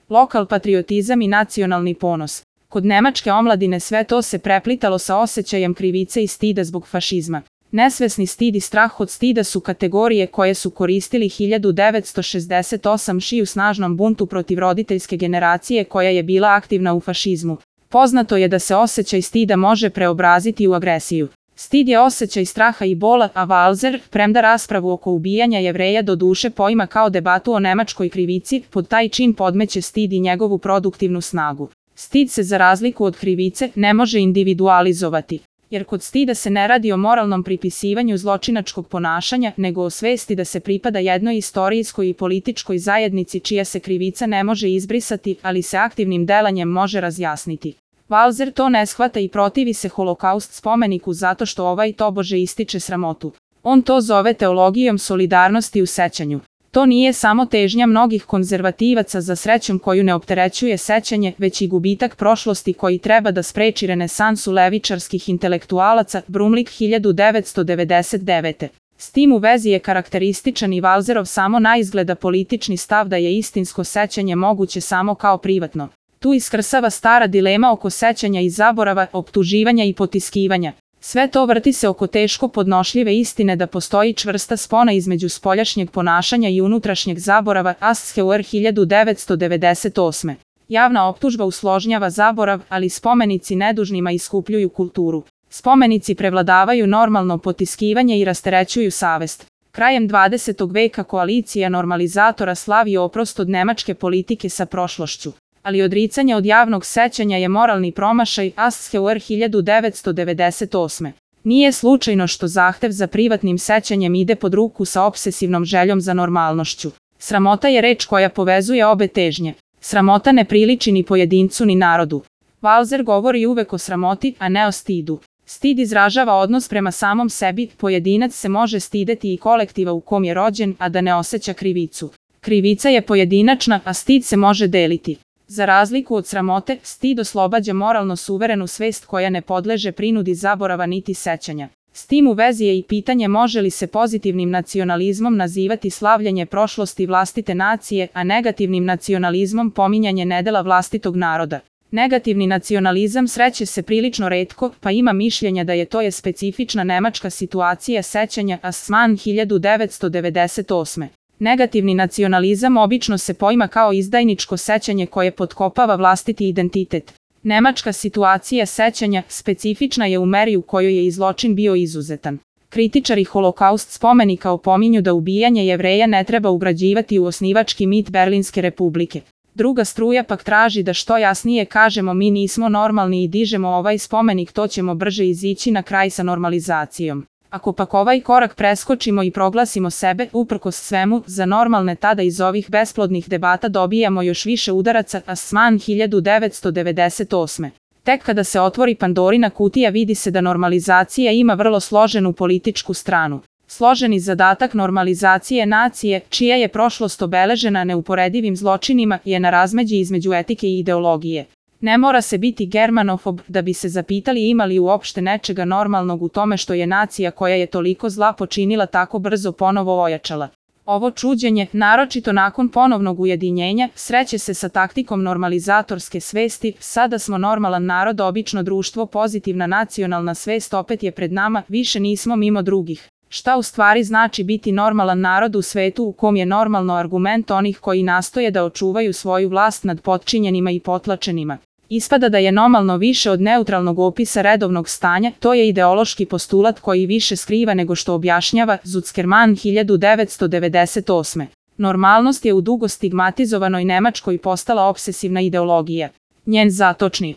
lokal patriotizam i nacionalni ponos. Kod nemačke omladine sve to se preplitalo sa osjećajem krivice i stida zbog fašizma. Nesvesni stid i strah od stida su kategorije koje su koristili 1968 u snažnom buntu protiv roditeljske generacije koja je bila aktivna u fašizmu. Poznato je da se osjećaj stida može preobraziti u agresiju. Stid je osjećaj straha i bola, a Walser, premda raspravu oko ubijanja Jevreja do duše poima kao debatu o nemačkoj krivici, pod taj čin podmeće stid i njegovu produktivnu snagu. Stid se za razliku od krivice ne može individualizovati, jer kod stida se ne radi o moralnom pripisivanju zločinačkog ponašanja, nego o svesti da se pripada jednoj istorijskoj i političkoj zajednici čija se krivica ne može izbrisati, ali se aktivnim delanjem može razjasniti. Walser to ne shvata i protivi se Holokaust spomeniku zato što ovaj tobože ističe sramotu. On to zove teologijom solidarnosti u sećanju. To nije samo težnja mnogih konzervativaca za srećom koju ne opterećuje sećanje, već i gubitak prošlosti koji treba da spreči renesansu levičarskih intelektualaca, Brumlik 1999. S tim u vezi je karakterističan i Walserov samo naizgleda politični stav da je istinsko sećanje moguće samo kao privatno. Tu iskrsava stara dilema oko sećanja i zaborava, optuživanja i potiskivanja. Sve to vrti se oko teško podnošljive istine da postoji čvrsta spona između spoljašnjeg ponašanja i unutrašnjeg zaborava, Aschauer 1998. Javna optužba usložnjava zaborav, ali spomenici nedužnima iskupljuju kulturu. Spomenici prevladavaju normalno potiskivanje i rasterećuju savest. Krajem 20. veka koalicija normalizatora slavi oprost od nemačke politike sa prošlošću. Ali odricanje od javnog sećanja je moralni promašaj, Aschauer 1998. Nije slučajno što zahtev za privatnim sećanjem ide pod ruku sa obsesivnom željom za normalnošću. Sramota je reč koja povezuje obe težnje. Sramota ne priliči ni pojedincu ni narodu. Walser govori uvek o sramoti, a ne o stidu. Stid izražava odnos prema samom sebi, pojedinac se može stideti i kolektiva u kom je rođen, a da ne osjeća krivicu. Krivica je pojedinačna, a stid se može deliti. Za razliku od sramote, stid oslobađa moralno suverenu svest koja ne podleže prinudi zaborava niti sećanja. S tim u vezi je i pitanje može li se pozitivnim nacionalizmom nazivati slavljenje prošlosti vlastite nacije, a negativnim nacionalizmom pominjanje nedela vlastitog naroda. Negativni nacionalizam sreće se prilično retko, pa ima mišljenja da je to specifična nemačka situacija sećanja, Assmann 1998. Negativni nacionalizam obično se poima kao izdajničko sećanje koje potkopava vlastiti identitet. Nemačka situacija sećanja specifična je u meri u kojoj je i zločin bio izuzetan. Kritičari Holokaust spomenika opominju da ubijanje Jevreja ne treba ugrađivati u osnivački mit Berlinske republike. Druga struja pak traži da što jasnije kažemo mi nismo normalni i dižemo ovaj spomenik, to ćemo brže izići na kraj sa normalizacijom. Ako pak ovaj korak preskočimo i proglasimo sebe, uprkos svemu, za normalne, tada iz ovih besplodnih debata dobijamo još više udaraca, Assmann 1998. Tek kada se otvori Pandorina kutija vidi se da normalizacija ima vrlo složenu političku stranu. Složeni zadatak normalizacije nacije, čija je prošlost obeležena neuporedivim zločinima, je na razmeđi između etike i ideologije. Ne mora se biti germanofob da bi se zapitali ima li uopšte nečega normalnog u tome što je nacija koja je toliko zla počinila tako brzo ponovo ojačala. Ovo čuđenje, naročito nakon ponovnog ujedinjenja, sreće se sa taktikom normalizatorske svesti, sada smo normalan narod, obično društvo, pozitivna nacionalna svest opet je pred nama, više nismo mimo drugih. Šta u stvari znači biti normalan narod u svetu u kom je normalno argument onih koji nastoje da očuvaju svoju vlast nad potčinjenima i potlačenima? Ispada da je normalno više od neutralnog opisa redovnog stanja, to je ideološki postulat koji više skriva nego što objašnjava, Zuckerman 1998. Normalnost je u dugo stigmatizovanoj Nemačkoj postala obsesivna ideologija. Njen zatočni